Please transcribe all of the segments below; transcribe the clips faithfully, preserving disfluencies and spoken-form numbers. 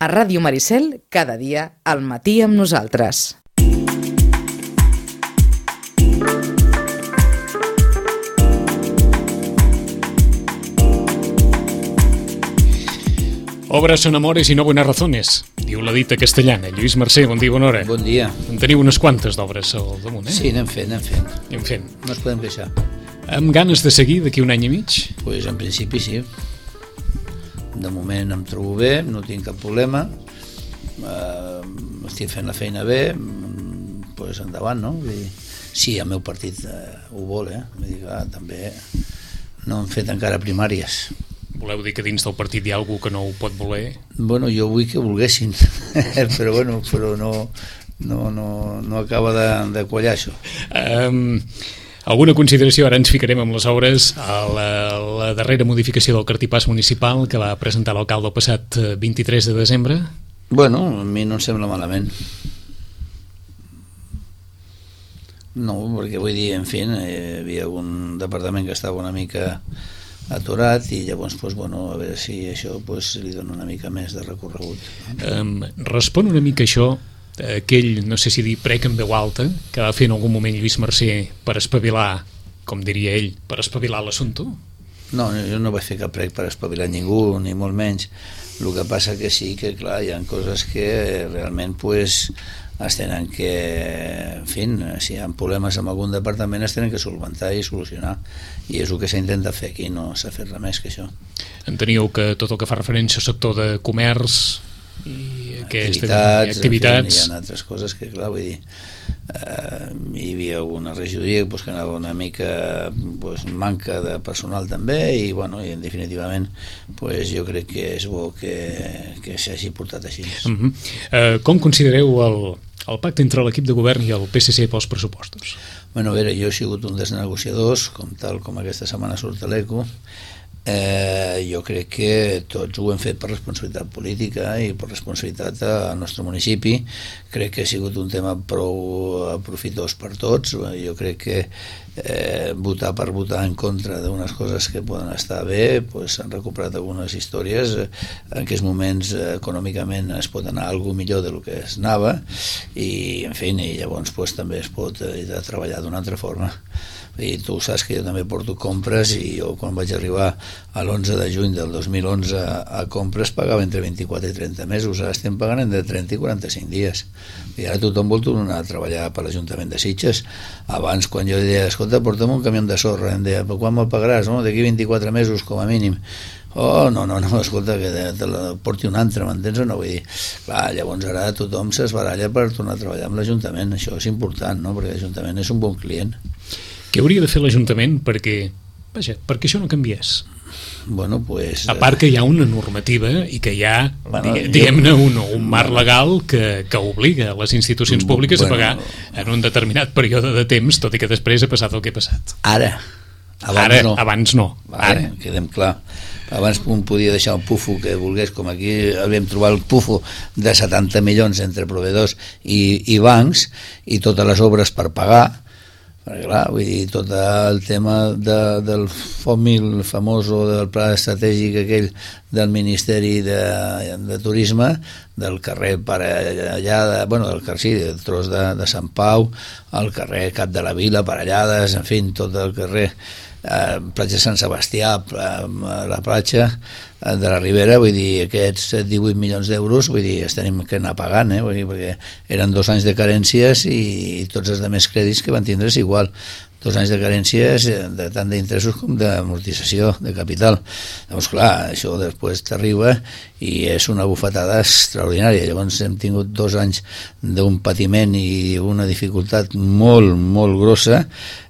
A Ràdio Maricel, cada dia, al matí amb nosaltres. Obras son amores y no buenas razones, diu la dita castellana. Lluís Mercè, bon dia, bona hora. Bon dia. En teniu unes quantes d'obres al damunt, eh? Sí, anem fent, anem fent. Anem fent. No ens podem queixar. Amb ganes de seguir d'aquí un any i mig? Doncs pues en principi sí. De moment em trobo bé, no tinc cap problema. Uh, estic fent la feina bé, doncs pues endavant, no? Vull dir, sí, el meu partit uh, ho vol, eh? Vull dir que ah, també no hem fet encara primàries. Voleu dir que dins del partit hi ha algú que no ho pot voler? Bueno, jo vull que volguessin, però bueno, però no, no, no, no acaba de, de quallar això. Um, alguna consideració? Ara ens ficarem amb les obres. A la, la darrera modificació del cartipàs municipal que va presentar l'alcalde el passat vint-i-tres de desembre? Bueno, a mi no em sembla malament. No, perquè vull dir, en fi, hi havia un departament que estava una mica aturat i llavors, pues, bueno, a veure si això pues, li dona una mica més de recorregut. Um, respon una mica això aquell, no sé si dir prec en veu alta, que va fer en algun moment Lluís Mercè per espavilar, com diria ell, per espavilar l'assumpte? No, jo no vaig fer cap prec per espavilar ningú, ni molt menys. El que passa que sí que, clar, hi ha coses que realment, pues, es tenen que, en fi, si hi ha problemes amb algun departament es tenen que solventar i solucionar, i és el que s'intenta fer aquí, no s'ha fet res més que això. Enteníeu que tot el que fa referència al sector de comerç i aquestes activitats, activitats... En fi, hi ha altres coses que, clar, vull dir, eh, hi havia una regidoria pues, que anava una mica pues, manca de personal també i, bueno, i definitivament pues, jo crec que és bo que, que s'hagi portat així. Uh -huh. uh, com considereu el, el pacte entre l'equip de govern i el P S C pels pressupostos? Bueno, a veure, jo he sigut un dels negociadors, com tal com aquesta setmana surt a l'Eco. Eh, jo crec que tots ho hem fet per responsabilitat política i per responsabilitat al nostre municipi. Crec que ha sigut un tema prou profitós per tots. Jo crec que eh, votar per votar en contra d'unes coses que poden estar bé, pues, s'han recuperat algunes històries. En aquests moments eh, econòmicament es pot anar a alguna millor del que es anava i, en fi, i llavors pues, també es pot eh, treballar d'una altra forma. I tu saps que jo també porto compres i jo quan vaig arribar a l'onze de juny del dos mil onze a compres pagava entre vint-i-quatre i trenta mesos, ara estem pagant entre trenta i quaranta-cinc dies i ara tothom vol tornar a treballar per l'Ajuntament de Sitges. Abans quan jo deia, escolta, porta'm un camió de sorra, em deia, però quan me'l pagaràs? No? D'aquí vint-i-quatre mesos com a mínim. Oh, no, no, no, escolta, que te la porti un altre, m'entens o no? Vull dir, clar, llavors ara tothom s'esbaralla per tornar a treballar amb l'Ajuntament, això és important, no? Perquè l'Ajuntament és un bon client. Què hauria de fer l'Ajuntament perquè, vaja, perquè això no canviés? Bueno, pues, a part que hi ha una normativa i que hi ha, bueno, diguem-ne, un, un marc legal que, que obliga les institucions públiques bueno, a pagar en un determinat període de temps, tot i que després ha passat el que ha passat. Ara. Abans Ara, no. Abans no. Vale, ara. Quedem clar. Abans un podia deixar un pufo que volgués, com aquí vam trobar el pufo de setanta milions entre proveïdors i, i bancs i totes les obres per pagar. Perquè clar, vull dir, tot el tema de, del FOMIL famós o del pla estratègic aquell del Ministeri de, de Turisme, del carrer Parellada, bueno, del carrer, sí, del tros de, de Sant Pau, el carrer Cap de la Vila, Parellades, en fi, tot el carrer eh, platja Sant Sebastià, la platja de la Ribera, vull dir, aquests divuit milions d'euros, vull dir, es tenim que anar pagant, eh? Vull dir, perquè eren dos anys de carències i tots els altres crèdits que van tindre és igual. Dos anys de carències, de, tant d'interessos com d'amortització de capital. Llavors, clar, això després t'arriba i és una bufetada extraordinària. Llavors hem tingut dos anys d'un patiment i una dificultat molt, molt grossa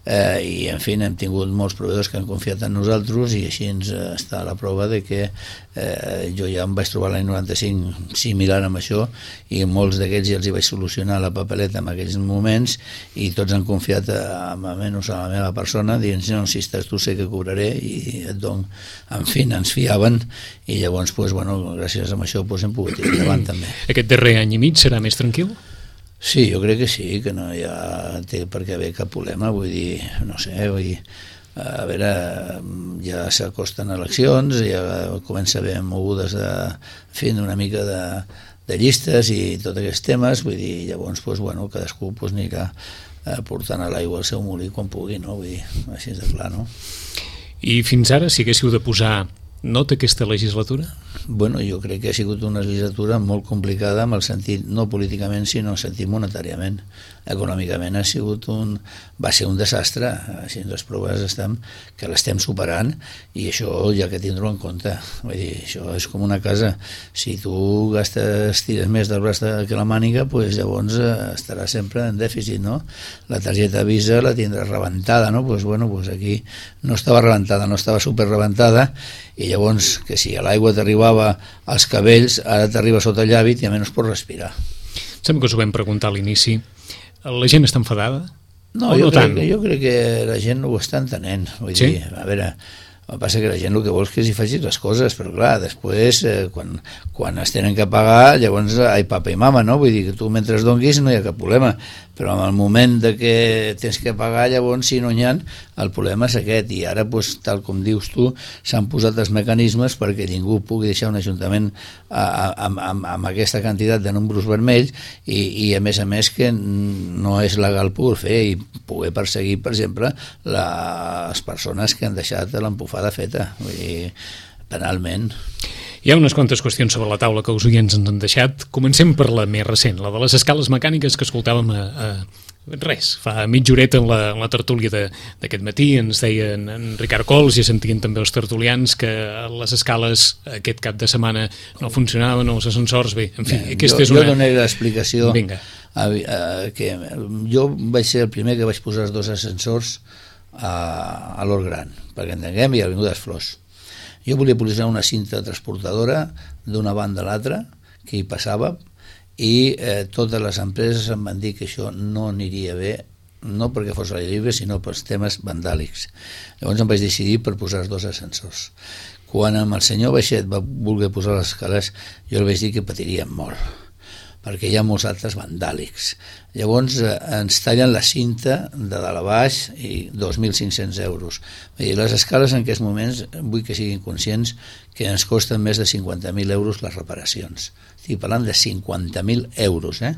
eh, i, en fi, hem tingut molts proveïdors que han confiat en nosaltres i així ens està la prova de que eh, jo ja em vaig trobar l'any noranta-cinc similar amb això i molts d'aquests ja els hi vaig solucionar la papeleta en aquells moments i tots han confiat amb almenys a la meva persona dient, no, si estàs tu sé que cobraré i et dono, en fi, ens fiaven i llavors, pues, bueno, gràcies a això pues, hem pogut ir endavant també. Aquest darrer any i mig serà més tranquil? Sí, jo crec que sí, que no hi ha té per què haver cap problema, vull dir, no sé, vull dir, a veure, ja s'acosten eleccions, ja comença a haver mogudes de fent una mica de, de llistes i tots aquests temes, vull dir, llavors, doncs, bueno, cadascú doncs, anirà portant a l'aigua al seu molí quan pugui, no? Vull dir, així de clar, no? I fins ara, si haguéssiu de posar nota aquesta legislatura? Bueno, jo crec que ha sigut una legislatura molt complicada en el sentit, no políticament, sinó en el sentit monetàriament. Econòmicament ha sigut un... va ser un desastre, així les proves estem, que l'estem superant i això ja que tindrò en compte. Vull dir, això és com una casa. Si tu gastes, tires més del braç que la màniga, pues llavors estarà sempre en dèficit, no? La targeta Visa la tindràs rebentada, no? Pues bueno, pues aquí no estava rebentada, no estava super rebentada i llavors que si a l'aigua t'arribava als cabells, ara t'arriba sota el llavi i a menys pots respirar. Sembla que us ho vam preguntar a l'inici. La gent està enfadada? No, o jo, no crec, tant? jo crec que la gent ho està entenent. Vull sí? dir, a veure, el que passa que la gent el que vol és que s'hi facin les coses, però clar, després, eh, quan, quan es tenen que pagar, llavors ai papa i mama, no? Vull dir que tu mentre donguis no hi ha cap problema, però en el moment de que tens que pagar, llavors si no n'hi ha, el problema és aquest, i ara, pues, tal com dius tu, s'han posat els mecanismes perquè ningú pugui deixar un ajuntament amb, amb, amb aquesta quantitat de números vermells i, i a més a més que no és legal poder fer i poder perseguir, per exemple, les persones que han deixat l'empufada feta, vull dir, penalment. Hi ha unes quantes qüestions sobre la taula que els oients ens han deixat. Comencem per la més recent, la de les escales mecàniques que escoltàvem a, a res, fa mitja horeta en la, en la tertúlia d'aquest matí. Ens deien en Ricard Cols i sentien també els tertulians que les escales aquest cap de setmana no funcionaven, els ascensors, bé, en fi, bé, aquesta jo, és una... Jo donaré l'explicació. Vinga. A, a, que jo vaig ser el primer que vaig posar els dos ascensors a, a l'Hort Gran, perquè entenguem, i a l'Avinguda des Flors. Jo volia posar una cinta transportadora d'una banda a l'altra que hi passava i eh, totes les empreses em van dir que això no aniria bé, no perquè fos l'aire lliure, sinó pels temes vandàlics. Llavors em vaig decidir per posar els dos ascensors. Quan amb el senyor Baixet va voler posar les escales, jo li vaig dir que patiríem molt, perquè hi ha molts altres vandàlics. Llavors eh, ens tallen la cinta de dalt a baix i dos mil cinc-cents euros. I les escales en aquests moments, vull que siguin conscients que ens costen més de cinquanta mil euros les reparacions. Estic parlant de cinquanta mil euros, eh?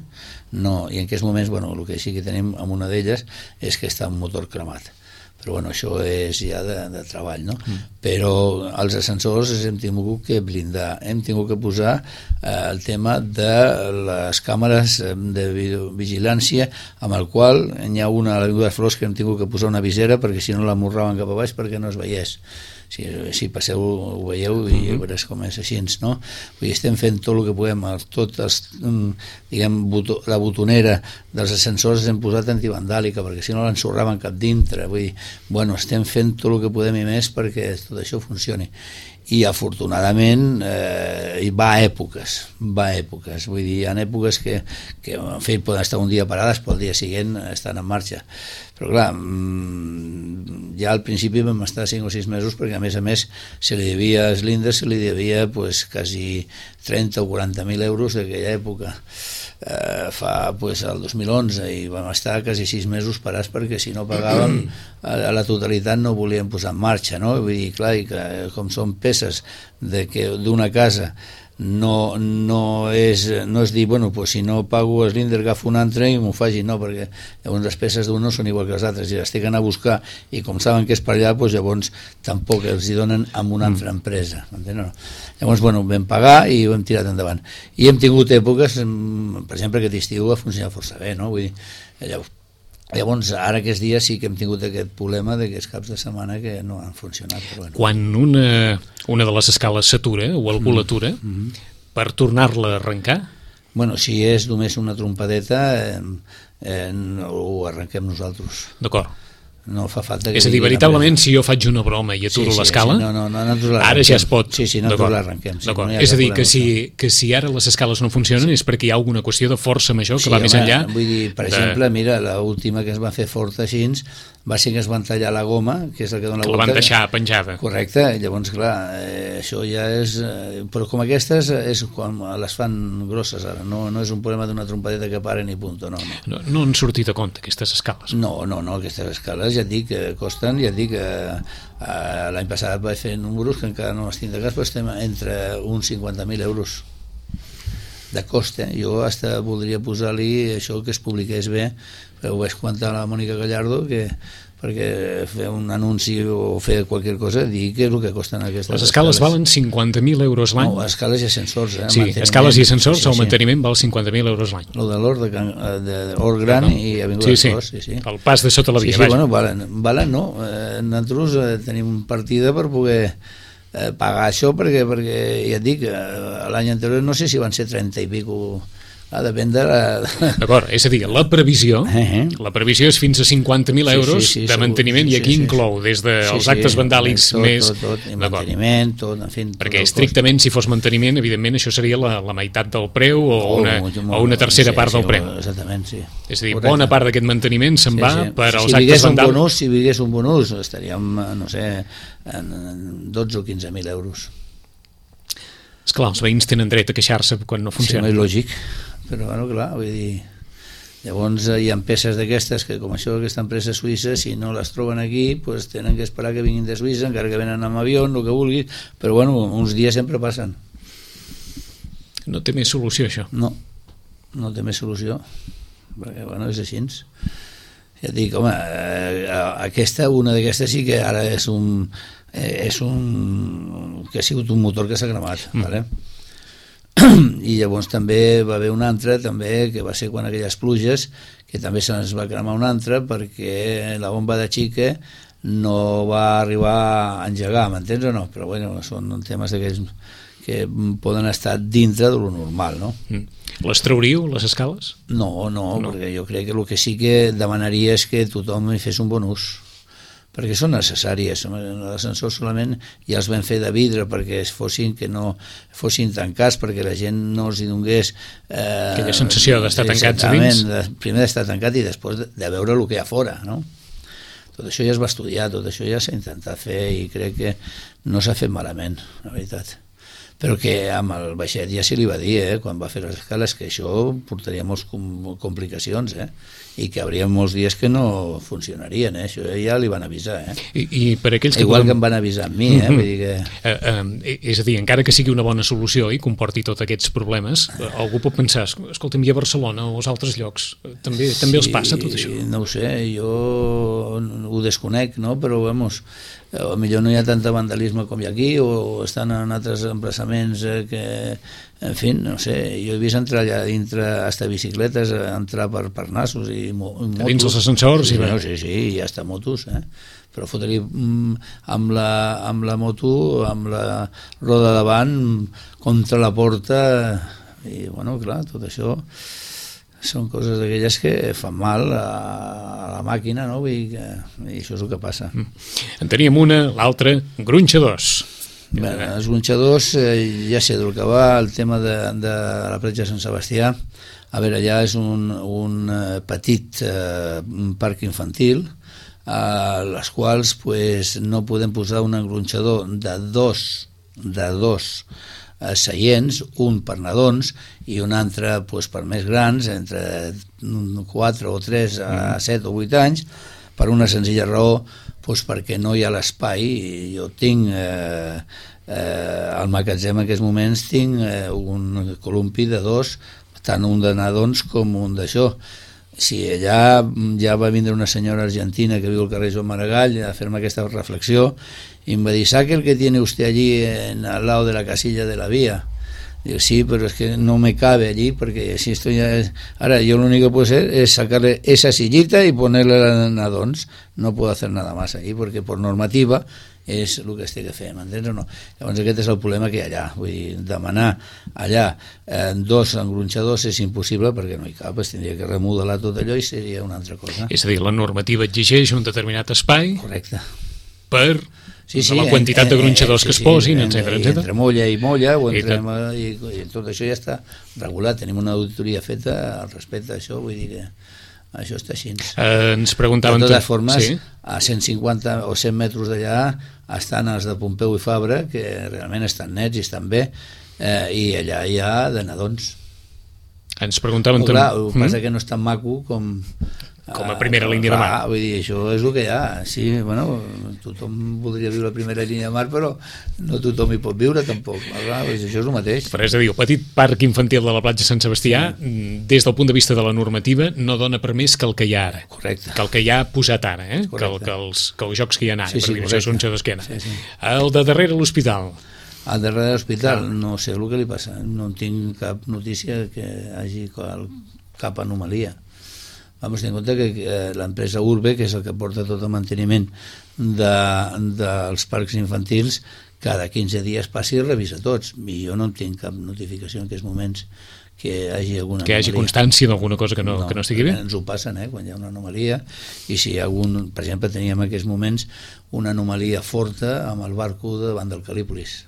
No, i en aquests moments, bueno, el que sí que tenim amb una d'elles és que està un motor cremat. Però bueno, això és ja de, de treball, no? Mm. Però els ascensors hem tingut que blindar, hem tingut que posar eh, el tema de les càmeres de vigilància, amb el qual hi ha una a l'Avinguda des Flors que hem tingut que posar una visera perquè si no la morraven cap a baix perquè no es veiés. Si, si passeu ho veieu i uh-huh. veuràs com és així, no? Vull dir, estem fent tot el que podem, tot els, diguem, boto, la botonera dels ascensors hem posat antivandàlica perquè si no l'ensorraven cap dintre, vull dir, bueno, estem fent tot el que podem i més perquè tot això funcioni. I afortunadament eh, va a èpoques, va a èpoques, vull dir, hi ha èpoques que, que en fi, poden estar un dia parades però el dia següent estan en marxa. Però clar, ja al principi vam estar cinc o sis mesos perquè a més a més se li devia a Slinder, se li devia pues, quasi trenta o quaranta mil euros d'aquella època. Eh, fa pues, el dos mil onze i vam estar quasi sis mesos parats perquè si no pagàvem a, a la totalitat no volíem posar en marxa, no? Vull dir, clar, i que, com són peces de que d'una casa no, no, és, no és dir, bueno, pues si no pago Slinder agafo un altre i m'ho faci, no, perquè llavors les peces d'un no són igual que les altres i les tenen d'anar a buscar i com saben que és per allà, pues llavors tampoc els hi donen amb una altra empresa, no? Llavors, bueno, vam pagar i ho hem tirat endavant i hem tingut èpoques, per exemple aquest estiu ha funcionat força bé, no? Vull dir, llavors Llavors, ara aquests dies sí que hem tingut aquest problema d'aquests caps de setmana que no han funcionat. Però bueno. Quan una, una de les escales s'atura o algú mm. l'atura, mm-hmm. per tornar-la a arrencar? Bueno, si és només una trompadeta, eh, eh, ho arrenquem nosaltres. D'acord. No fa falta que... És a dir, veritablement, si jo faig una broma i aturo sí, sí, l'escala, sí, no, no, no, ara ja es pot... Sí, sí, nosaltres l'arrenquem. Sí, no és a dir, que si, que si ara les escales no funcionen sí. és perquè hi ha alguna qüestió de força major que sí, va home, més enllà... Vull dir, per de... exemple, mira, l'última que es va fer forta així va ser que es van tallar la goma, que és el que dona la volta. volta. La van deixar penjada. Correcte, llavors, clar, eh, això ja és... Eh, però com aquestes és quan les fan grosses ara, no, no és un problema d'una trompadeta que paren i punt, no, no. No, no han sortit a compte aquestes escales? No, no, no, aquestes escales ja et dic que costen, ja et dic que eh, l'any passat vaig fer números que encara no estic de cas, però estem entre uns cinquanta mil euros de cost, eh? Jo hasta voldria posar-li això que es publiqués bé, però ho vaig comentar a la Mònica Gallardo, que perquè fer un anunci o fer qualsevol cosa, dir què és el que costen aquestes les escales. Les escales valen cinquanta mil euros l'any? No, escales i ascensors. Eh? Sí, escales i ascensors, sí, sí, el manteniment sí. val cinquanta mil euros l'any. Lo de l'Or, de, de, de Or Gran no. i Avinguda sí, sí. Cos. Sí, sí. El pas de sota la via. Sí, sí, bueno, valen, valen no. Eh, nosaltres eh, tenim partida per poder eh, pagar això, perquè, perquè ja et dic, eh, l'any anterior no sé si van ser trenta i pico. Ah, depèn de la... D'acord, és a dir, la previsió uh-huh. la previsió és fins a cinquanta mil euros sí, sí, sí, de manteniment, sí, i aquí sí, inclou des dels de sí, actes sí, vandàlics tot, més... Tot, tot, i manteniment, tot, en fi... Perquè estrictament, si fos manteniment, evidentment això seria la, la meitat del preu o, oh, una, molt, o una tercera sí, part sí, del preu. Exactament, sí. És a dir, Correcte. Bona part d'aquest manteniment se'n sí, va sí. per als si actes vandàlics. Bonus, si vingués un bonus, estaríem, no sé, en dotze o quinze mil euros. Esclar, els veïns tenen dret a queixar-se quan no funciona. Sí, no és lògic. Però, bueno, clar, vull dir, llavors hi ha peces d'aquestes que, com això, aquesta empresa suïssa, si no les troben aquí, pues tenen que esperar que vinguin de Suïssa, encara que venen amb avió, el que vulguis, però, bueno, uns dies sempre passen. No té més solució, això? No, no té més solució, perquè, bueno, és així. Ja et dic, home, eh, aquesta, una d'aquestes sí que ara és un... Eh, és un... que ha sigut un motor que s'ha cremat, mm. vale? I llavors també va haver una altra també, que va ser quan aquelles pluges, que també se'ns va cremar una altra perquè la bomba de xica no va arribar a engegar, m'entens o no? Però bueno, són temes d'aquells que poden estar dintre de lo normal, no? Mm. Les trauríeu, les escales? No, no, no, perquè jo crec que el que sí que demanaria és que tothom hi fes un bon ús, perquè són necessàries. L'ascensor solament ja els vam fer de vidre perquè es fossin, que no fossin tancats, perquè la gent no els hi donés eh, aquella sensació d'estar tancats a dins, de, primer d'estar tancat i després de, de veure el que hi ha fora, no? Tot això ja es va estudiar, tot això ja s'ha intentat fer i crec que no s'ha fet malament, la veritat. Però que amb el baixet ja se li va dir, eh, quan va fer les escales, que això portaria moltes complicacions, eh, i que hi hauria molts dies que no funcionarien, eh, això ja li van avisar, eh. I, i per aquells que igual podem... que em van avisar amb mi, eh, vull dir que... Eh, eh, és a dir, encara que sigui una bona solució i comporti tots aquests problemes, eh, algú pot pensar, escolta'm, i a Barcelona o als altres llocs també, sí, també els passa tot això? No ho sé, jo ho desconec, no? Però, vamos, potser no hi ha tanta vandalisme com hi ha aquí, o estan en altres emplaçaments que, en fi, no sé, jo he vist entrar allà dintre hasta bicicletes, entrar per, per nassos i, mo, i motos. Dins els ascensors? Sí, i no, sí, sí, i hasta motos, eh? Però fotre-li amb, la, amb la moto, amb la roda davant, contra la porta, i, bueno, clar, tot això són coses d'aquelles que fan mal a, a la màquina, no? Vull dir que, i això és el que passa. En teníem una, l'altra, gronxadors. Bé, els gronxadors, eh, ja sé del que va, el tema de, de la platja de Sant Sebastià. A veure, allà és un, un petit eh, parc infantil, a les quals pues, no podem posar un engronxador de dos, de dos seients, un per nadons i un altre pues, per més grans, entre quatre o tres a set o vuit anys, per una senzilla raó, pues, perquè no hi ha l'espai. Jo tinc eh, eh, al magatzem en aquests moments tinc eh, un columpi de dos, tant un de nadons com un d'això. Si allà ja va vindre una senyora argentina que viu al carrer Joan Maragall a fer-me aquesta reflexió y me va dir, ¿sabe el que tiene usted allí en, al lado de la casilla de la vía? Digo, sí, pero es que no me cabe allí porque si estoy ya... Ahora yo lo único que puedo hacer es sacarle esa sillita y ponerle a nadons. No puedo hacer nada más allí porque por normativa és el que es té que fer, m'entens o no? Llavors aquest és el problema que hi ha allà, vull dir, demanar allà eh, dos engronxadors és impossible perquè no hi cap, es tindria que remodelar tot allò i seria una altra cosa. És a dir, la normativa exigeix un determinat espai. Correcte. Per sí, sí, la quantitat en, de gronxadors en, sí, que es posin, sí, etcètera, etcètera. Entre molla i molla, o entre, i, i, i tot això ja està regulat, tenim una auditoria feta al respecte d'això, vull dir que això està així. Eh, ens preguntaven... De totes formes, sí? a cent cinquanta o cent metres d'allà estan els de Pompeu i Fabra, que realment estan nets i estan bé, eh, i allà hi ha de nadons. Ens preguntaven... Clar, el que passa que no és tan maco com... com a primera línia de mar. Ah, vull dir, això és el que hi ha. Sí, bueno, tothom voldria viure a la primera línia de mar, però no tothom hi pot viure tampoc. Clar, això és el mateix. Però és a dir, el petit parc infantil de la platja Sant Sebastià, sí, des del punt de vista de la normativa, no dona per més que el que hi ha ara. Correcte. Que el que hi ha posat ara, eh? Que, el, que, els, que els jocs que hi ha ara, sí, sí, per dir això, són jocs que hi ha ara. Sí, sí. El de darrere l'hospital. Al darrere de l'hospital, no sé el que li passa. No tinc cap notícia que hagi cap anomalia. Vamos a tenir en compte que eh, l'empresa Urbe, que és el que porta tot el manteniment de, dels parcs infantils, cada quinze dies passi i revisa tots. I jo no en tinc cap notificació en aquests moments que hagi alguna que hagi anomalia. Constància d'alguna cosa que no, no, que no estigui bé? Ens ho passen, eh, quan hi ha una anomalia, i si hi ha algun... Per exemple, teníem en aquests moments una anomalia forta amb el barco davant del Calípolis,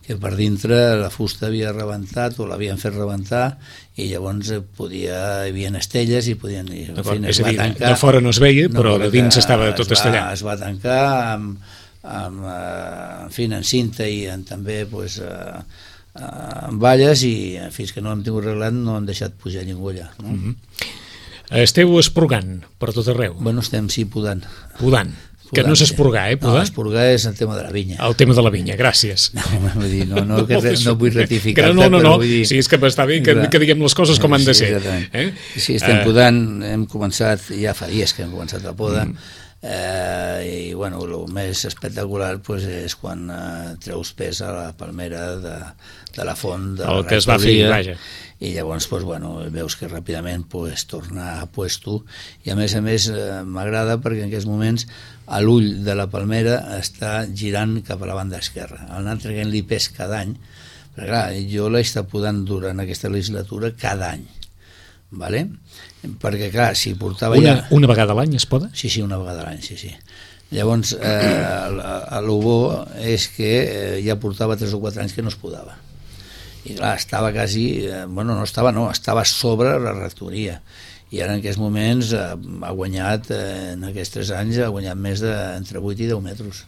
que per dintre la fusta havia rebentat o l'havien fet rebentar i llavors podia, hi havia estelles i podien... En fi, és a dir, tancar, de fora no es veia, però no, de dins estava tot estallat. Es va tancar amb, amb, en fi, en cinta i en, també pues, amb valles i fins que no hem tingut arreglat no han deixat pujar ningú allà. No? Mm-hmm. Esteu esporgant per tot arreu? Bueno, estem sí podant. Podant. Que no és esporgar, eh, podar? No, esporgar és el tema de la vinya. El tema de la vinya, gràcies. No, vull dir, no, no, que re, no vull ratificar-te, no, no, no, però vull dir... Sí, és que està bé que, que diguem les coses com han de ser. Sí, eh? sí estem podant, hem començat, ja fa dies que hem començat la poda, mm. eh, i bueno, el més espectacular pues, és quan eh, treus pes a la palmera de, de la font de el la que es va fer, vaja. I llavors pues, bueno, veus que ràpidament pues, torna a puesto i a més a més eh, m'agrada perquè en aquests moments a l'ull de la palmera està girant cap a la banda esquerra, anar traient-li pes cada any, perquè clar, jo l'he estat podant durant aquesta legislatura cada any, vale? Perquè clar, si portava una, ja... Una vegada a l'any es poda? Sí, sí, una vegada a l'any, sí, sí. Llavors, eh, el bo és que eh, ja portava tres o quatre anys que no es podava. I clar, estava quasi, eh, bueno, no estava, no, estava sobre la rectoria. I ara en aquests moments eh, ha guanyat, eh, en aquests tres anys, ha guanyat més de entre vuit i deu metres.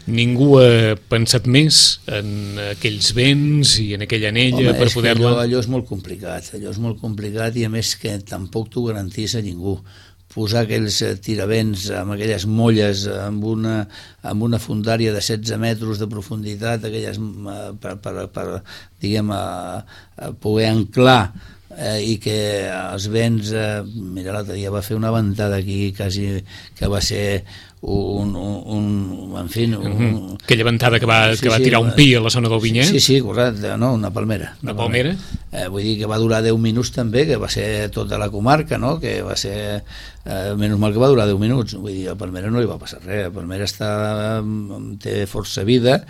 Ningú ha pensat més en aquells vents i en aquella anella. Home, per poder-la... Allò, allò és molt complicat, allò és molt complicat i a més que tampoc t'ho garantís a ningú. Posar aquells tiravents amb aquelles molles amb una, amb una fundària de setze metres de profunditat, aquelles per, per, per diguem, a, a poder anclar eh, i que els vents, eh, mira, l'altre dia va fer una ventada aquí quasi que va ser un, un, un en fi... Un, mm-hmm. Aquella ventada que va, sí, que va sí, tirar un pi a la zona del Vinyet. Sí, sí, correcte, no, una palmera. Una, una palmera? Eh, vull dir que va durar deu minuts també, que va ser tota la comarca, no? Que va ser... Eh, menys mal que va durar deu minuts. Vull dir, a palmera no li va passar res. A palmera està, té força vida,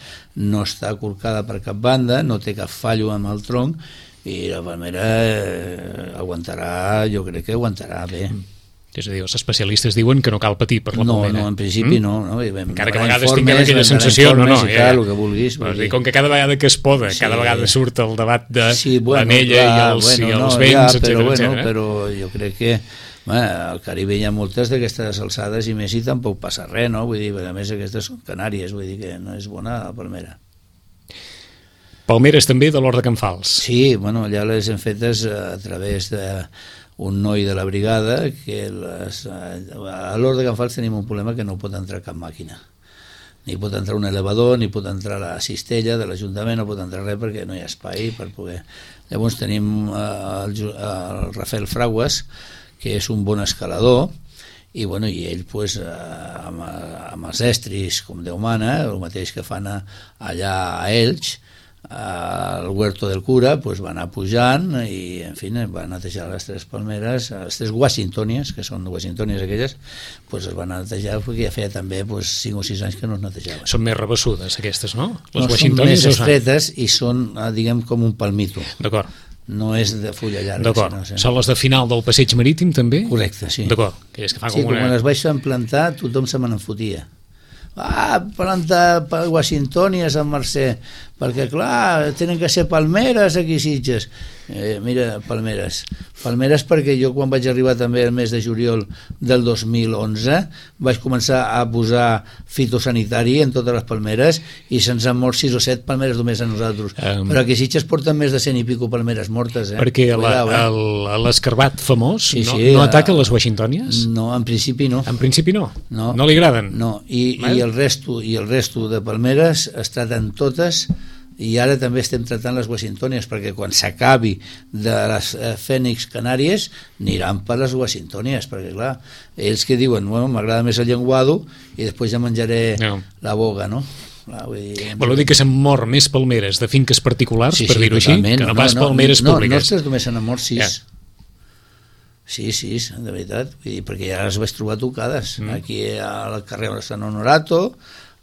no està corcada per cap banda, no té cap fallo amb el tronc, i la palmera eh, aguantarà, jo crec que aguantarà bé. Mm. És a dir, els especialistes diuen que no cal patir per la no, palmera. No, en principi mm? no. no vam, Encara que a vegades tinguem aquella sensació, no, no, ja, tal, el que vulguis. Però, dir, com que cada vegada que es poda, sí. Cada vegada surt el debat de sí, bueno, l'anella i els, bueno, i els no, vents, ja, etcètera, però, bueno, etcètera. Però jo crec que bueno, al Caribe hi ha moltes d'aquestes alçades i més i tampoc passa res, no? Vull dir, a més aquestes són Canàries, vull dir que no és bona la palmera. Palmeres també de l'Hort de Can Fals. Sí, bueno, allà les hem fetes a través de un noi de la brigada que les, a l'Hort de Can Fals tenim un problema que no pot entrar cap màquina, ni pot entrar un elevador, ni pot entrar la cistella de l'Ajuntament, no pot entrar res perquè no hi ha espai per poder... Llavors tenim el, el Rafael Fraguas, que és un bon escalador, i, bueno, i ell pues, amb, amb els estris com Déu mana, el mateix que fan allà a Elx, al Huerto del Cura, pues va anar pujant i en fi va netejar les tres palmeres, les tres washingtonies, que són washingtonies aquelles, pues es van netejar perquè ja feia també pues, cinc o sis anys que no es netejaven. Són més rebessudes aquestes, no? Les no, són més estretes i són, diguem, com un palmito. D'acord. No és de fulla llarga. D'acord. Sinó, són les de final del passeig marítim també? Correcte, sí. D'acord. Que que fan sí, com una... quan les vaig implantar tothom se me n'enfotia. Ah, plantar washingtonies a Sant Mercè, perquè clar, tenen que ser palmeres aquí a Sitges. Eh, mira, palmeres. Palmeres perquè jo quan vaig arribar també el mes de juliol del dos mil onze vaig començar a posar fitosanitari en totes les palmeres i se'ns han mort sis o set palmeres només a nosaltres. Um, Però aquí a Sitges porten més de cent i pico palmeres mortes. Eh? Perquè l'escarbat famós sí, sí, no, no ataca les washingtònies? No, en principi no. En principi no? No, no li agraden? No, i, i, el resto, i el resto de palmeres es traten totes. I ara també estem tratant les washingtònies perquè quan s'acabi de les eh, fènix canàries aniran per les washingtònies perquè clar, ells que diuen bueno, m'agrada més el llenguado i després ja menjaré no. la boga, no? Clar, vull dir, Vol dir que s'han mort més palmeres de finques particulars, sí, per sí, dir-ho així, que no, no pas no, palmeres no, públiques. No, nostres només se n'han mort sis. Ja. Sí, sí, de veritat, vull dir, perquè ja les vaig trobar tocades. Mm. Aquí al carrer on està Honorato,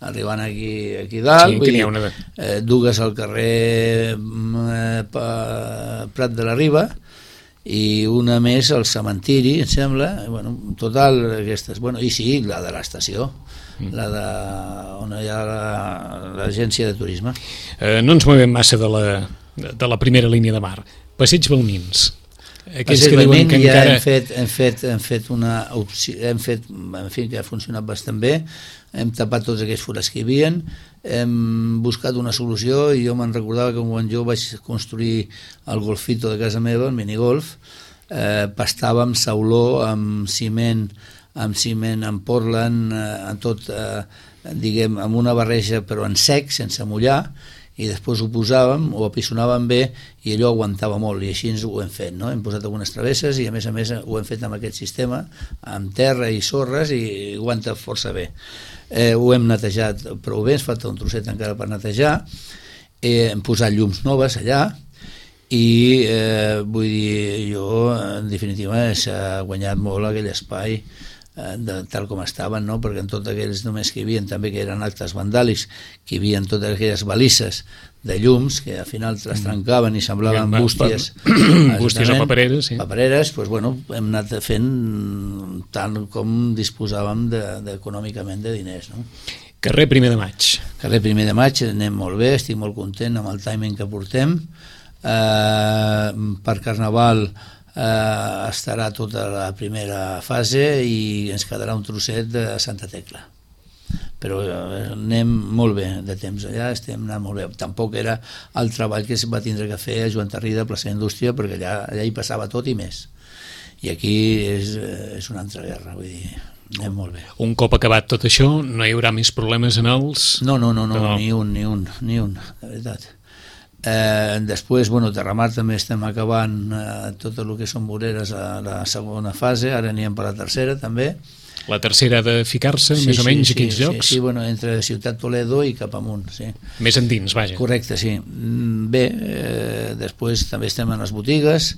arribant aquí, aquí dalt, sí, vull dir, de... eh, dues al carrer eh, Prat de la Riba i una més al cementiri, em sembla, bueno, en total aquestes, bueno, i sí, la de l'estació, mm. la de on hi ha l'agència de turisme. Eh, no ens movem massa de la, de la primera línia de mar. Passeig Balmins. Aquells que diuen que ja encara... hem fet, hem fet, hem fet una opció, hem fet, en fi, que ha funcionat bastant bé, hem tapat tots aquells forats que hi havia, hem buscat una solució i jo me'n recordava que quan jo vaig construir el golfito de casa meva, el minigolf, eh, pastava amb sauló, amb ciment, amb ciment, amb Portland, eh, en tot, eh, diguem, amb una barreja però en sec, sense mullar, i després ho posàvem, ho apisonàvem bé i allò aguantava molt i així ens ho hem fet, no? Hem posat algunes travesses i a més a més ho hem fet amb aquest sistema amb terra i sorres i aguanta força bé. Eh, ho hem netejat prou bé, ens falta un trosset encara per netejar, eh, hem posat llums noves allà i eh, vull dir, jo en definitiva s'ha guanyat molt aquell espai de, tal com estaven, no? Perquè en tots aquells només que hi havia també que eren actes vandàlics, que hi havia totes aquelles balisses de llums que al final les trencaven i semblaven bústies bústies o papereres, sí. papereres, doncs, bueno, hem anat fent tant com disposàvem de, de, econòmicament de diners, no? Carrer Primer de Maig. Carrer Primer de Maig, anem molt bé, estic molt content amb el timing que portem. Eh, per Carnaval Uh, estarà tota la primera fase i ens quedarà un trosset de Santa Tecla, però uh, anem molt bé de temps allà, estem anant molt bé. Tampoc era el treball que es va tindre que fer a Joan Tarrida, plaça Indústria, perquè allà, allà hi passava tot i més, i aquí és, és una altra guerra, vull dir, anem molt bé. Un cop acabat tot això no hi haurà més problemes en els... No, no, no, no, no. ni un, ni un, ni un, de veritat. Eh, després, bueno, Terramar també estem acabant eh, tot el que són voreres a la segona fase, ara anirem per la tercera també. La tercera ha de ficar-se sí, més o menys sí, a quins sí, llocs? Sí, sí, bueno, entre Ciutat Toledo i cap amunt, sí. Més endins, vaja. Correcte, sí. Bé, eh, després també estem en les botigues,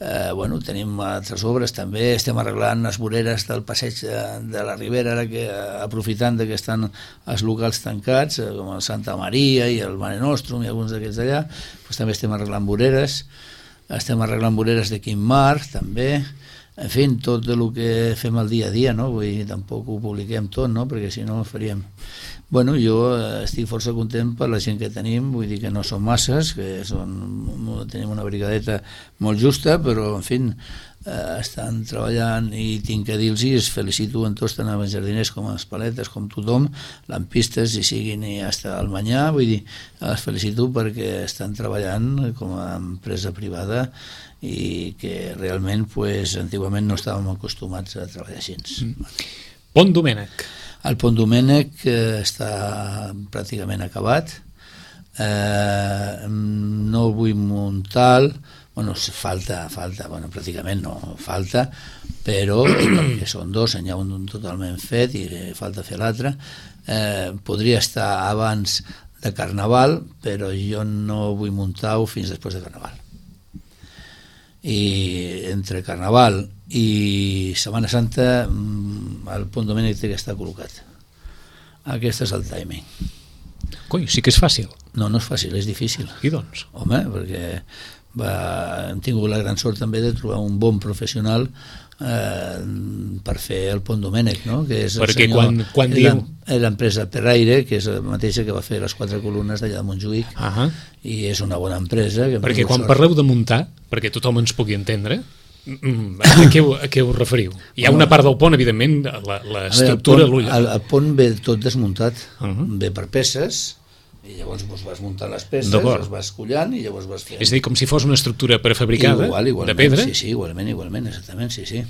eh, bueno, tenim altres obres també, estem arreglant les voreres del passeig de, de la Ribera, ara que aprofitant que estan els locals tancats, eh, com el Santa Maria i el Mare Nostrum i alguns d'aquests d'allà, doncs també estem arreglant voreres, estem arreglant voreres de Quim Mar, també, en fi, tot el que fem al dia a dia, no? Vull dir, tampoc ho publiquem tot, no? Perquè si no faríem... Bueno, jo estic força content per la gent que tenim, vull dir que no són masses, que són, tenim una brigadeta molt justa, però, en fi, eh, estan treballant i tinc que dir-los i es felicito en tots, tant els jardiners com els paletes, com tothom, lampistes, i siguin i hasta el Manyà, vull dir, els felicito perquè estan treballant com a empresa privada i que realment, pues, antigament no estàvem acostumats a treballar així. Mm. Pont Domènec. El Pont Domènec eh, està pràcticament acabat, eh, no vull muntar, bueno, falta, falta, bueno, pràcticament no falta, però perquè són dos, n'hi ha un totalment fet i falta fer l'altre, eh, podria estar abans de Carnaval, però jo no vull muntar-ho fins després de Carnaval. I entre Carnaval i Setmana Santa el Pont Domènec té que estar col·locat. Aquest és el timing. Coi, sí que és fàcil. No, no és fàcil, és difícil. I doncs? Home, perquè va, hem tingut la gran sort també de trobar un bon professional eh, per fer el Pont Domènec, no? Que és perquè el senyor quan, quan diu, l'empresa Perraire, que és la mateixa que va fer les quatre columnes d'allà de Montjuïc, uh -huh. i és una bona empresa. Que perquè quan sort. Parleu de muntar, perquè tothom ens pugui entendre, a què, a què us referiu? Hi ha una part del pont, evidentment, l'estructura... El, el, el pont ve tot desmuntat, uh -huh. ve per peces, i llavors doncs, vas muntant les peces, les vas collant i llavors vas fent... És a dir, com si fos una estructura prefabricada, igual, de pedra? Sí, sí, igualment, igualment, exactament, sí, sí.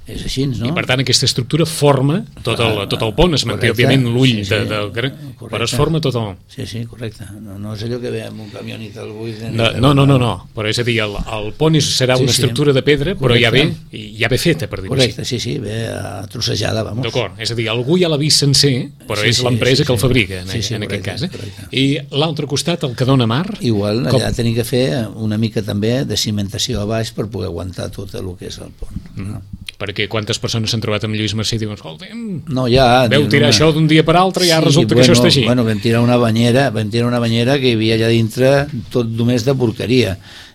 És així, no? I per tant aquesta estructura forma tot el, tot el pont, es manté òbviament l'ull, sí, sí, de, de, però es forma tot el... Sí, sí, correcte. No, no és allò que ve amb un camió i te'l buit... No, no, no, no, no, però és a dir, el, el pont és, serà una sí, estructura sí. de pedra, però ja ve, ja ve feta, per dir-ho així. Correcte, sí, sí, ve trossejada, vamos. D'acord, és a dir, algú ja l'ha vist sencer, però sí, és sí, l'empresa sí, que el fabrica, en, sí, sí, en correcte, aquest cas. Eh? I l'altre costat, el que dona mar... Igual, allà com... tenim que fer una mica també de cimentació a baix per poder aguantar tot el que és el pont. Mm. No? Perquè quantes persones s'han trobat amb Lluís Mercè i diuen, escolta'm, no, ja, veu tirar una... això d'un dia per altre i ja sí, resulta bueno, que això està així. Bueno, vam tirar una banyera, vam tirar una banyera que hi havia allà dintre tot només de porqueria.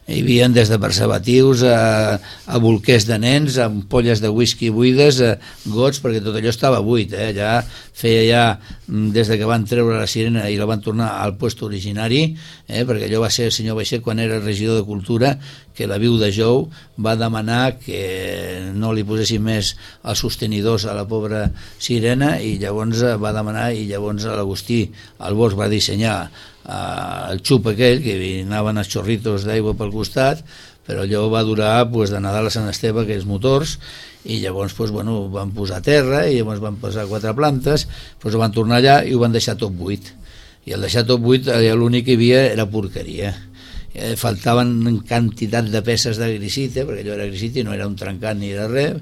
Hi havia des de preservatius a, a bolquers de nens, a ampolles de whisky buides, a gots, perquè tot allò estava buit. Eh? Ja feia ja, des de que van treure la sirena i la van tornar al puesto originari, eh? perquè allò va ser el senyor Baixet quan era regidor de Cultura, que la viu de Jou va demanar que no li posessin més els sostenidors a la pobra sirena i llavors va demanar i llavors l'Agustí Albors va dissenyar el xup aquell, que anaven els xorritos d'aigua pel costat, però allò va durar pues, de Nadal a Sant Esteve, aquells motors, i llavors pues, bueno, van posar a terra i llavors van posar quatre plantes, pues, van tornar allà i ho van deixar tot buit. I al deixar tot buit allà l'únic que hi havia era porqueria. Eh, faltaven quantitat de peces de grisita, perquè allò era grisita i no era un trencat ni era res,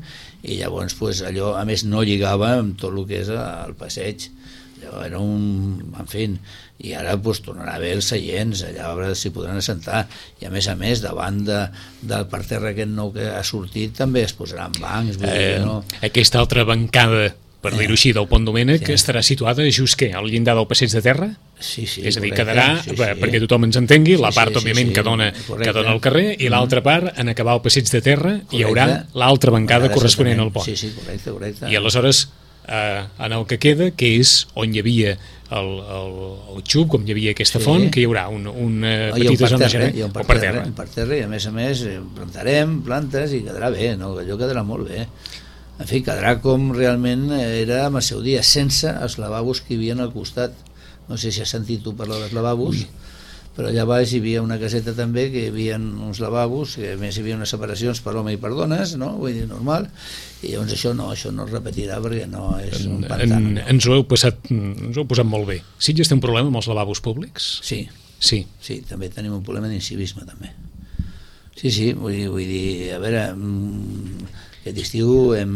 i llavors pues, allò a més no lligava amb tot el que és el passeig. Allò era un... en fi, i ara pues, tornarà a haver els seients, allà a veure si podran assentar, i a més a més davant de, del parterre aquest nou que ha sortit també es posaran bancs, vull eh, dir, no? Aquesta altra bancada, per eh. dir-ho així, del Pont Domènec, sí. estarà situada just què, al llindar del passeig de terra? Sí, sí, és a dir, correcte, quedarà, sí, sí. perquè tothom ens entengui, sí, la part, sí, òbviament, sí, sí, que, dona, correcte. que dona al carrer, i l'altra part, en acabar el passeig de terra, correcte. Hi haurà l'altra bancada corresponent al pont. Sí, sí, correcte, correcte. I aleshores, eh, en el que queda, que és on hi havia el, el, el xup, com hi havia aquesta font, sí. que hi haurà un, una petita zona general. Hi ha un parterre, un parterre, i a més a més plantarem plantes i quedarà bé, no? Allò quedarà molt bé. En fi, quedarà com realment era amb el seu dia, sense els lavabos que hi havia al costat. No sé si has sentit tu parlar dels lavabos, Ui. però allà baix hi havia una caseta també que hi havia uns lavabos, que a més hi havia unes separacions per home i per dones, no? Vull dir, normal, i llavors això no, això no es repetirà perquè no és un pantà. En, ens, ho heu passat, ens ho heu posat molt bé. Sitges té un problema amb els lavabos públics? Sí, sí, sí, també tenim un problema d'incivisme també. Sí, sí, vull dir, vull dir a veure... Aquest estiu hem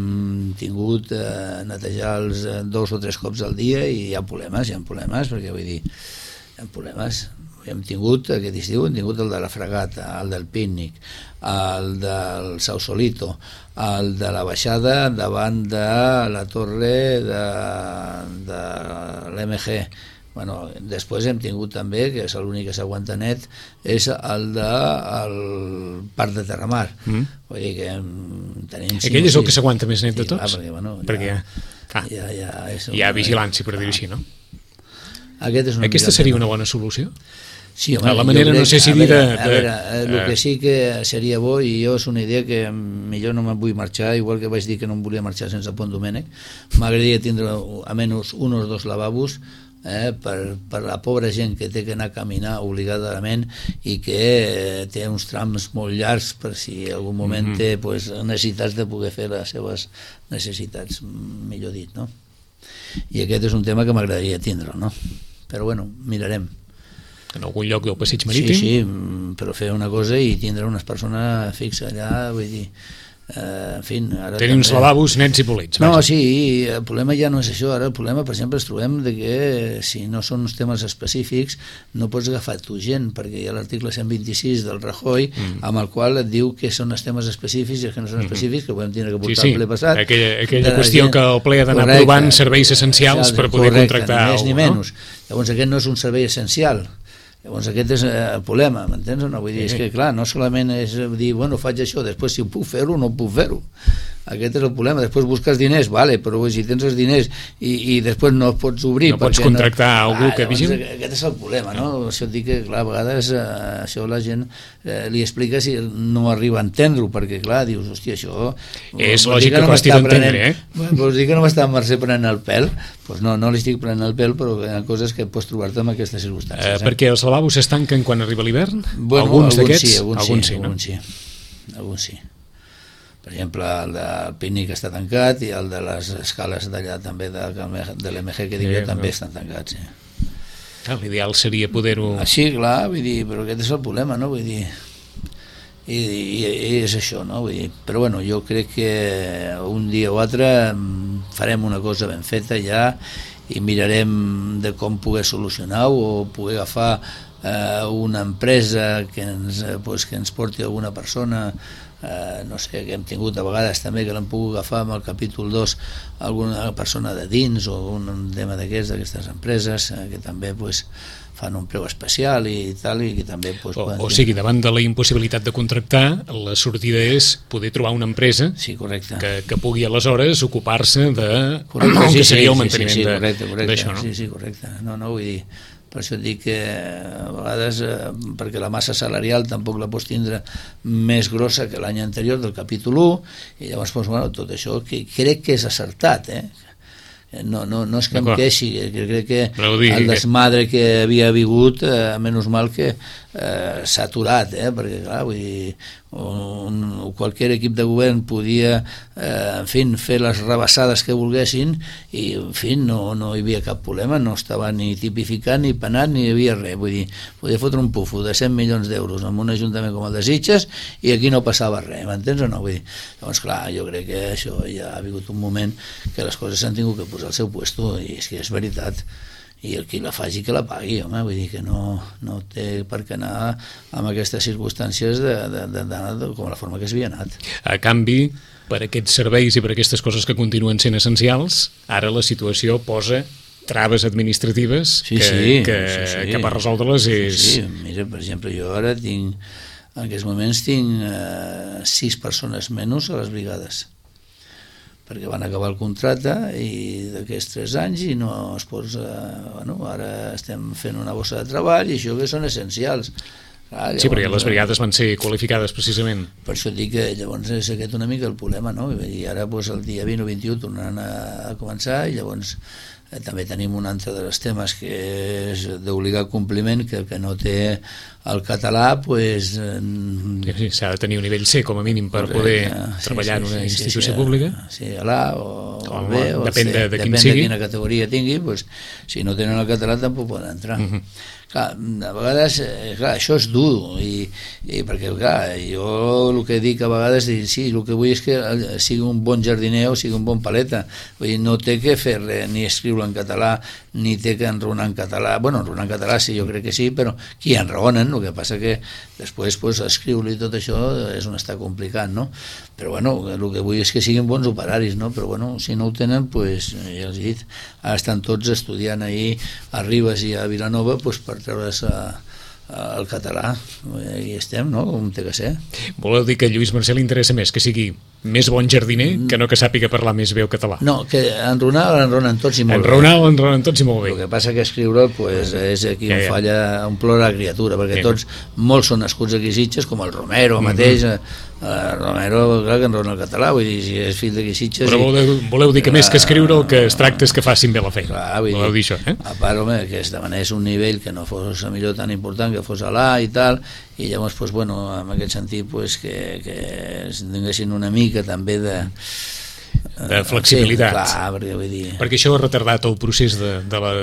tingut eh, netejar els eh, dos o tres cops al dia i hi ha problemes, hi ha problemes, perquè vull dir, hi ha problemes. Hem tingut, aquest estiu, hem tingut el de la Fragata, el del pícnic, el del Sausolito, el de la baixada davant de la torre de, de l'M G. Bueno, després hem tingut també, que és l'únic que s'aguanta net, és el del de, Parc de Terramar. Mm. Vull dir que tenim... Aquell és el que s'aguanta més net de tots? Sí, perquè, bueno, perquè ja, ah, ja, ja és hi ha vigilància, per dir-ho així, no? Aquest és Aquesta seria una bona solució? Sí, home, a la manera, no sé si dir de... A veure, el que sí que seria bo, i jo és una idea que millor no me'n vull marxar, igual que vaig dir que no em volia marxar sense Pont Domènec, m'agradaria tindre almenys un o dos lavabos eh, per, per la pobra gent que té que anar a caminar obligadament i que eh, té uns trams molt llargs per si en algun moment mm -hmm. té pues, necessitats de poder fer les seves necessitats, millor dit, no? I aquest és un tema que m'agradaria tindre, no? Però bueno, mirarem. En algun lloc del passeig marítim? Sí, sí, però fer una cosa i tindre unes persones fixes allà, vull dir... Eh, en fi, ara tenir uns lavabos nets i polits. No, vaja. Sí, el problema ja no és això. Ara el problema, per exemple, ens trobem de que si no són uns temes específics no pots agafar tu gent, perquè hi ha l'article cent vint-i-sis del Rajoy mm. amb el qual et diu que són els temes específics i els que no són específics, que ho vam tindre que portar sí, sí. al ple passat. Aquella, aquella qüestió gent, que el ple ha d'anar provant serveis essencials per poder correcte, contractar ni més ni algú, menys. No? Llavors aquest no és un servei essencial. Llavors aquest és el problema, m'entens o no? Vull dir, és que clar, no solament és dir, bueno, faig això, després si ho puc fer-ho o no puc fer-ho. aquest és el problema. Després busques diners, vale, però si tens els diners i, i després no pots obrir... No pots contractar no... algú ah, que vigili? Aquest és el problema, no? Això et dic que, clar, a vegades eh, això la gent eh, li explica si no arriba a entendre-ho, perquè, clar, dius, hòstia, això... És lògic que costi d'entendre, eh? Vols dir que no m'està Mercè prenent el pèl? Doncs pues no, no li estic prenent el pèl, però hi ha coses que pots trobar-te en aquestes circumstàncies. Eh, eh? Perquè els lavabos s'estanquen quan arriba l'hivern? Bueno, alguns d'aquests? Sí, alguns, alguns sí, sí, no? alguns sí, alguns sí. Per exemple, el del Pícnic està tancat i el de les escales d'allà també de, de l'M G que dic jo sí, també no. estan tancats, sí. Ah, l'ideal seria poder-ho... Així, clar, vull dir, però aquest és el problema, no? Vull dir, i, i, i és això, no? Vull dir, però bueno, jo crec que un dia o altre farem una cosa ben feta ja i mirarem de com poder solucionar-ho o poder agafar eh, una empresa que ens, pues, que ens porti alguna persona. Uh, no sé, que hem tingut a vegades també que l'hem pogut agafar amb el capítol dos alguna persona de dins o un tema d'aquests, d'aquestes empreses uh, que també pues, fan un preu especial i tal, i que també pues, o, o sigui, davant de la impossibilitat de contractar, la sortida és poder trobar una empresa sí, correcte. Que, que pugui aleshores ocupar-se de correcte, sí, que seria sí, el manteniment sí, sí, correcte, correcte, d'això, no? Sí, sí, correcte. No, no, vull dir, per això et dic que a vegades, eh, perquè la massa salarial tampoc la pots tindre més grossa que l'any anterior del capítol u, i llavors doncs, bueno, tot això que crec que és acertat, eh? No, no, no és que em queixi, que crec que el desmadre que havia hagut, eh, menys mal que eh, s'ha aturat, eh? Perquè clar, vull dir, un, qualsevol equip de govern podia eh, en fi, fer les rebassades que volguessin i en fi, no, no hi havia cap problema, no estava ni tipificat ni penat, ni hi havia res, vull dir, podia fotre un pufo de cent milions d'euros en un ajuntament com el de Sitges i aquí no passava res, m'entens o no? Vull dir, llavors clar, jo crec que això ja ha hagut un moment que les coses s'han tingut que posar al seu puesto i és que és veritat i el qui la faci que la pagui, home, vull dir que no, no té per què anar amb aquestes circumstàncies de, de, de, de, de, com la forma que s'havia anat. A canvi, per aquests serveis i per aquestes coses que continuen sent essencials, ara la situació posa traves administratives sí, que, sí, que, sí, sí. que per resoldre-les és... Sí, sí, mira, per exemple, jo ara tinc, en aquests moments tinc eh, sis persones menys a les brigades, perquè van acabar el contracte i d'aquests tres anys i no es posa, bueno, ara estem fent una bossa de treball i això que són essencials. Clar, llavors, sí, perquè les brigades van ser qualificades precisament. Per això et dic que llavors és aquest una mica el problema, no? I ara doncs, el dia vint o vint-i-u tornaran a, a començar i llavors eh, també tenim un altre dels temes que és d'obligar compliment, que el que no té el català pues, sí, sí, s'ha de tenir un nivell C com a mínim per poder sí, treballar sí, sí, en una sí, institució sí, pública sí, a l'A o, o al B o depèn C, de, de depèn quin sigui. de quina categoria tingui, pues, si no tenen el català tampoc poden entrar. Uh -huh. Clar, a vegades, clar, això és dur i, i perquè, clar, jo el que dic a vegades és, sí, el que vull és que sigui un bon jardiner o sigui un bon paleta, vull dir, no té que fer res, ni escriure en català ni té que enraonar en català, bueno, enraonar en català sí, jo crec que sí, però qui enraonen, el que passa que després pues, escriure-li tot això és on està complicat, no? Però bueno, el que vull és que siguin bons operaris, no? Però bueno, si no ho tenen, pues, ja els he dit, ara estan tots estudiant ahir a Ribes i a Vilanova pues, per treure's el català, i estem, no? Com té que ser. Voleu dir que a Lluís Mercè li interessa més que sigui més bon jardiner que no que sàpiga parlar més bé el català? No, que enronar l'enronen tots i molt enronar, bé. L'enronen tots i molt bé. El que passa que escriure pues, és aquí ja, on ja. falla, on plora la criatura, perquè ja. tots, molts són nascuts aquí a Sitges, com el Romero mateix, mm -hmm. Uh, Romero, clar, que enrona el català, vull dir, si és fill d'aquí Sitges... Però voleu, voleu dir que més que escriure el que es tracta és que facin bé la feina. Clar, vull voleu dir, dir això, eh? A part, home, que es demanés un nivell que no fos millor tan important, que fos a l'A i tal, i llavors, pues, bueno, en aquest sentit, pues, que, que es tinguessin una mica també de... de flexibilitat. Sí, clar, perquè vull dir... Perquè això ha retardat el procés de, de la...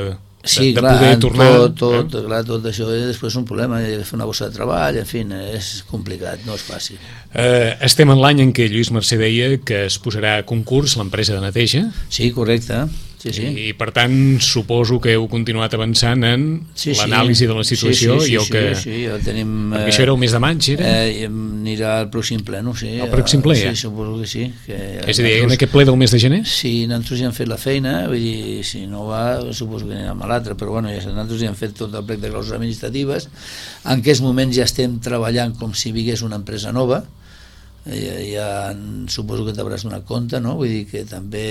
Sí, de, clar, de poder tornar, tot, tot, eh? clar, tot això és després un problema, hi ha de fer una bossa de treball, en fi, és complicat, no és fàcil. Eh, estem en l'any en què Lluís Mercè deia que es posarà a concurs l'empresa de neteja. Sí, correcte. Sí, sí. I, I per tant suposo que heu continuat avançant en sí, sí. l'anàlisi de la situació sí, sí, sí, i el que... Sí, sí, ja tenim... Perquè eh, això era el mes de maig, era? Eh, anirà al pròxim ple, no? Sí, el pròxim ple, ja? Sí, suposo que sí. Que és a dir, en aquest ple del mes de gener? Sí, nosaltres ja hem fet la feina, vull dir, si no va, suposo que anirà a l'altre, però bueno, ja, nosaltres ja hem fet tot el plec de clauses administratives, en aquests moments ja estem treballant com si vingués una empresa nova, ja, ja suposo que t'hauràs donat compte, no? Vull dir que també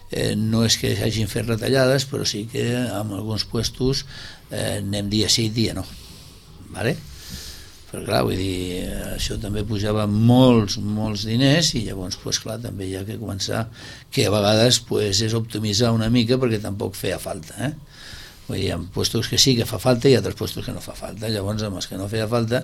eh, no és que hagin fet retallades, però sí que en alguns puestos eh, anem dia sí, dia no, vale? Però clar, vull dir, això també pujava molts, molts diners i llavors, pues, clar, també hi ha que començar, que a vegades pues, és optimitzar una mica perquè tampoc feia falta, eh? Vull dir, hi ha puestos que sí que fa falta i altres puestos que no fa falta, llavors amb els que no feia falta,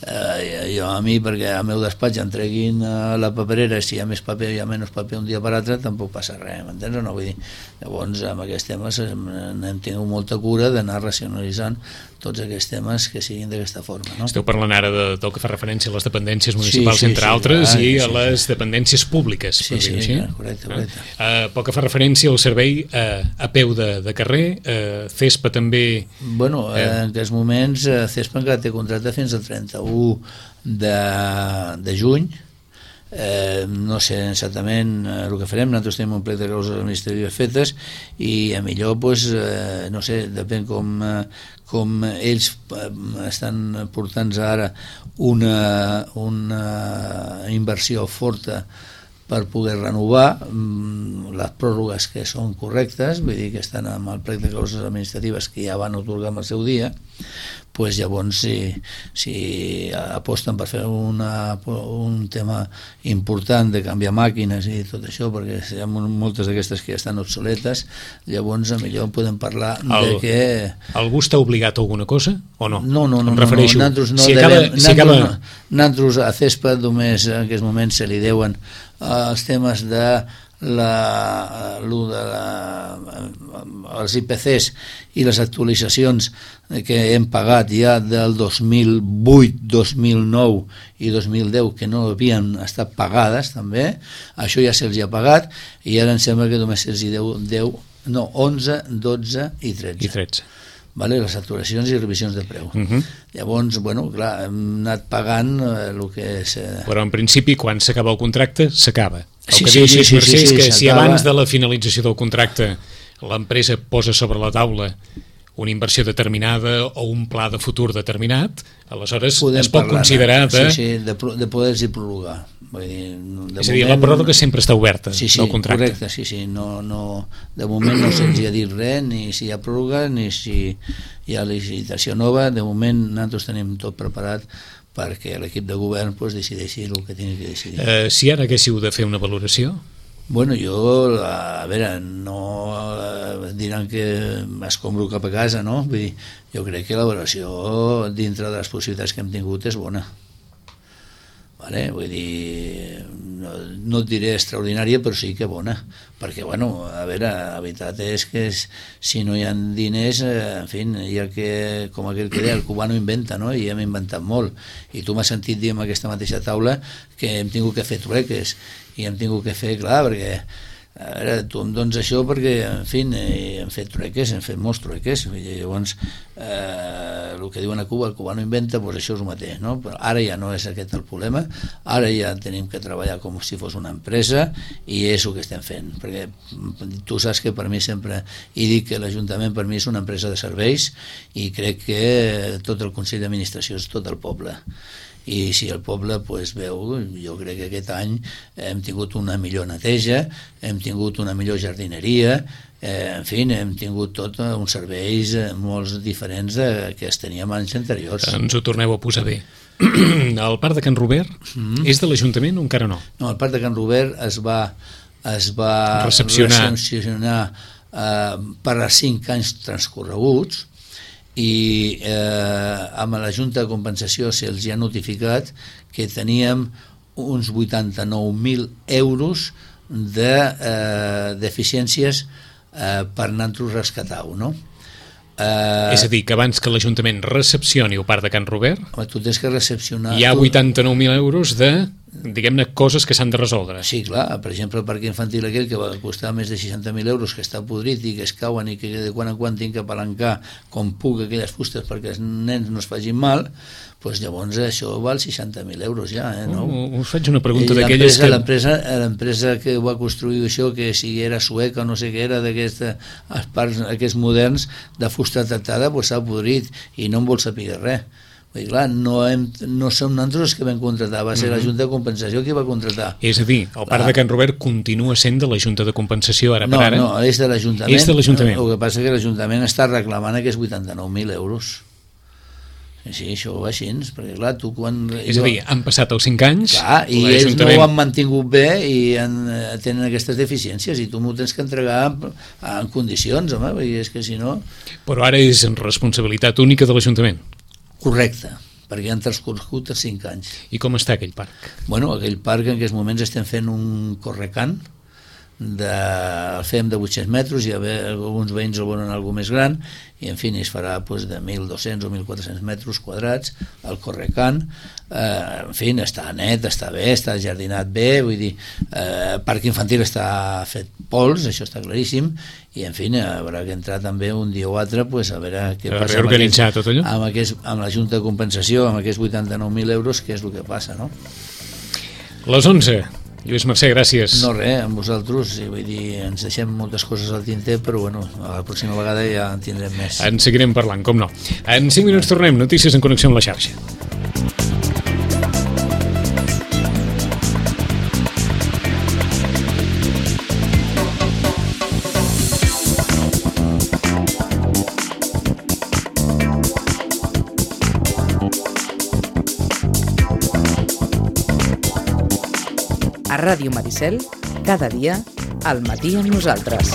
eh, jo a mi, perquè al meu despatx em treguin a la paperera, si hi ha més paper o hi ha menys paper un dia per altre, tampoc passa res, m'entens o no? Vull dir, llavors amb aquests temes n'hem tingut molta cura d'anar racionalitzant tots aquests temes que siguin d'aquesta forma, no? Esteu parlant ara de, del que fa referència a les dependències municipals, sí, sí, entre sí, altres, clar, i a sí, les sí. dependències públiques. Sí, sí, sí, correcte, correcte. Uh, pel que fa referència al servei uh, a peu de, de carrer, uh, CESPA també... Bueno, eh, en aquests moments uh, CESPA encara té contracte fins al trenta-u de, de juny. Eh, no sé exactament eh, el que farem, nosaltres tenim un plec de causes administratives fetes i a millor pues, eh, no sé, depèn com, eh, com ells eh, estan portant ara una, una inversió forta per poder renovar mm, les pròrrogues que són correctes, vull dir que estan amb el plec de causes administratives que ja van otorgar en el seu dia, pues llavors si, si aposten per fer una, un tema important de canviar màquines i tot això, perquè hi ha moltes d'aquestes que ja estan obsoletes, llavors millor podem parlar el, de que... Algú està obligat a alguna cosa o no? No, no, no, em refereixo. no, no, no si devem, acaba, si acaba... no, nosaltres a CESPA només en aquests moments se li deuen els temes de la, de la, els I P Cs i les actualitzacions que hem pagat ja del dos mil vuit, dos mil nou i dos mil deu que no havien estat pagades també, això ja se'ls ha pagat i ara em sembla que només se'ls hi deu, deu no, onze, dotze i tretze. I tretze. Vale, les actuacions i revisions de preu. Uh -huh. Llavors, bueno, clar, hem anat pagant eh, el que és... Eh... Però en principi, quan s'acaba el contracte, s'acaba. El sí, que sí, diu sí, sí, Mercè sí, és sí, que si s'acaba. abans de la finalització del contracte l'empresa posa sobre la taula una inversió determinada o un pla de futur determinat, aleshores podem es pot parlar, considerar de... Sí, sí, de, de poder-s'hi prologar. Vull dir, de és a dir, moment, la pròrroga sempre està oberta sí, sí, del contracte. Correcte, sí, sí. No, no, de moment no se'ns ha dit res, ni si hi ha pròrroga, ni si hi ha licitació nova. De moment nosaltres tenim tot preparat perquè l'equip de govern pues, decideixi el que tingui que decidir. Eh, si ara haguéssiu de fer una valoració? Bueno, jo, a veure, no diran que escombro cap a casa, no? Vull dir, jo crec que la valoració dintre de les possibilitats que hem tingut és bona. Vale? Vull dir, no, no et diré extraordinària, però sí que bona, perquè, bueno, a veure, la veritat és que és, si no hi ha diners, eh, en fi, hi ha que, com aquell que deia, el cubà no inventa, no? I hem inventat molt, i tu m'has sentit dir en aquesta mateixa taula que hem tingut que fer trueques, i hem tingut que fer, clar, perquè a veure, tu em dones això perquè, en fi, hem fet trueques, hem fet molts trueques, i llavors eh, el que diuen a Cuba, el cubà no inventa, doncs això és el mateix, no? Però ara ja no és aquest el problema, ara ja tenim que treballar com si fos una empresa i és el que estem fent, perquè tu saps que per mi sempre he dit que l'Ajuntament per mi és una empresa de serveis i crec que tot el Consell d'Administració és tot el poble. I si el poble pues, veu, jo crec que aquest any hem tingut una millor neteja, hem tingut una millor jardineria, eh, en fi, hem tingut tot uns serveis molt diferents de, que es teníem anys anteriors. Ens ho torneu a posar bé. El Parc de Can Robert mm. és de l'Ajuntament o encara no? No, el Parc de Can Robert es va, es va recepcionar, recepcionar eh, per a cinc anys transcorreguts, i eh, amb la Junta de Compensació se'ls ha notificat que teníem uns vuitanta-nou mil euros de eh, deficiències eh, per anar-nos rescatar-ho, no? Eh, és a dir, que abans que l'Ajuntament recepcioni el Parc de Can Robert, home, tu tens que recepcionar... hi ha vuitanta-nou mil euros de, diguem-ne, coses que s'han de resoldre. Sí, clar, per exemple, el parc infantil aquell que va costar més de seixanta mil euros, que està podrit i que es cauen i que de quan en quan tinc que apalancar com puc aquelles fustes perquè els nens no es facin mal, doncs llavors això val seixanta mil euros ja, eh, no? Uh, us faig una pregunta d'aquelles que... L'empresa l'empresa que va construir això, que si era sueca o no sé què era, d'aquests parcs aquests moderns de fusta tractada, doncs s'ha podrit i no en vol saber res. Vull dir, clar, no, hem, no som nosaltres els que vam contratar, va ser mm-hmm. la Junta de Compensació qui va contratar. És a dir, el parc de Can Robert continua sent de la Junta de Compensació ara no, per ara? No, no, és de l'Ajuntament. És de l'Ajuntament. El que passa és que l'Ajuntament està reclamant aquests vuitanta-nou mil euros. Sí, això ho va així, perquè clar, tu quan... És a dir, han passat els cinc anys... Clar, i ells no ho han mantingut bé i han, tenen aquestes deficiències i tu m'ho tens que entregar en, en condicions, home, perquè és que si no... Però ara és en responsabilitat única de l'Ajuntament. Correcte, perquè han transcorregut a cinc anys. I com està aquell parc? Bueno, aquell parc en aquests moments estem fent un correcant, de, el fem de vuit-cents metres i a veure, alguns veïns el volen algo més gran i en fi es farà pues, de mil dos-cents o mil quatre-cents metres quadrats el correcant, eh, en fi està net, està bé, està jardinat bé, vull dir, eh, el parc infantil està fet pols, això està claríssim i en fi haurà que entrar també un dia o altre pues, a veure què a passa amb, aquest, tot allò? Amb, aquest, amb la Junta de Compensació, amb aquests vuitanta-nou mil euros, què és el que passa, no? Les onze. Lluís Mercè, gràcies. No, res, amb vosaltres, vull dir, ens deixem moltes coses al tinter, però bueno, la pròxima vegada ja en tindrem més. En seguirem parlant, com no. En cinc minuts tornem, notícies en connexió amb la xarxa. A Ràdio Maricel, cada dia, al matí amb nosaltres.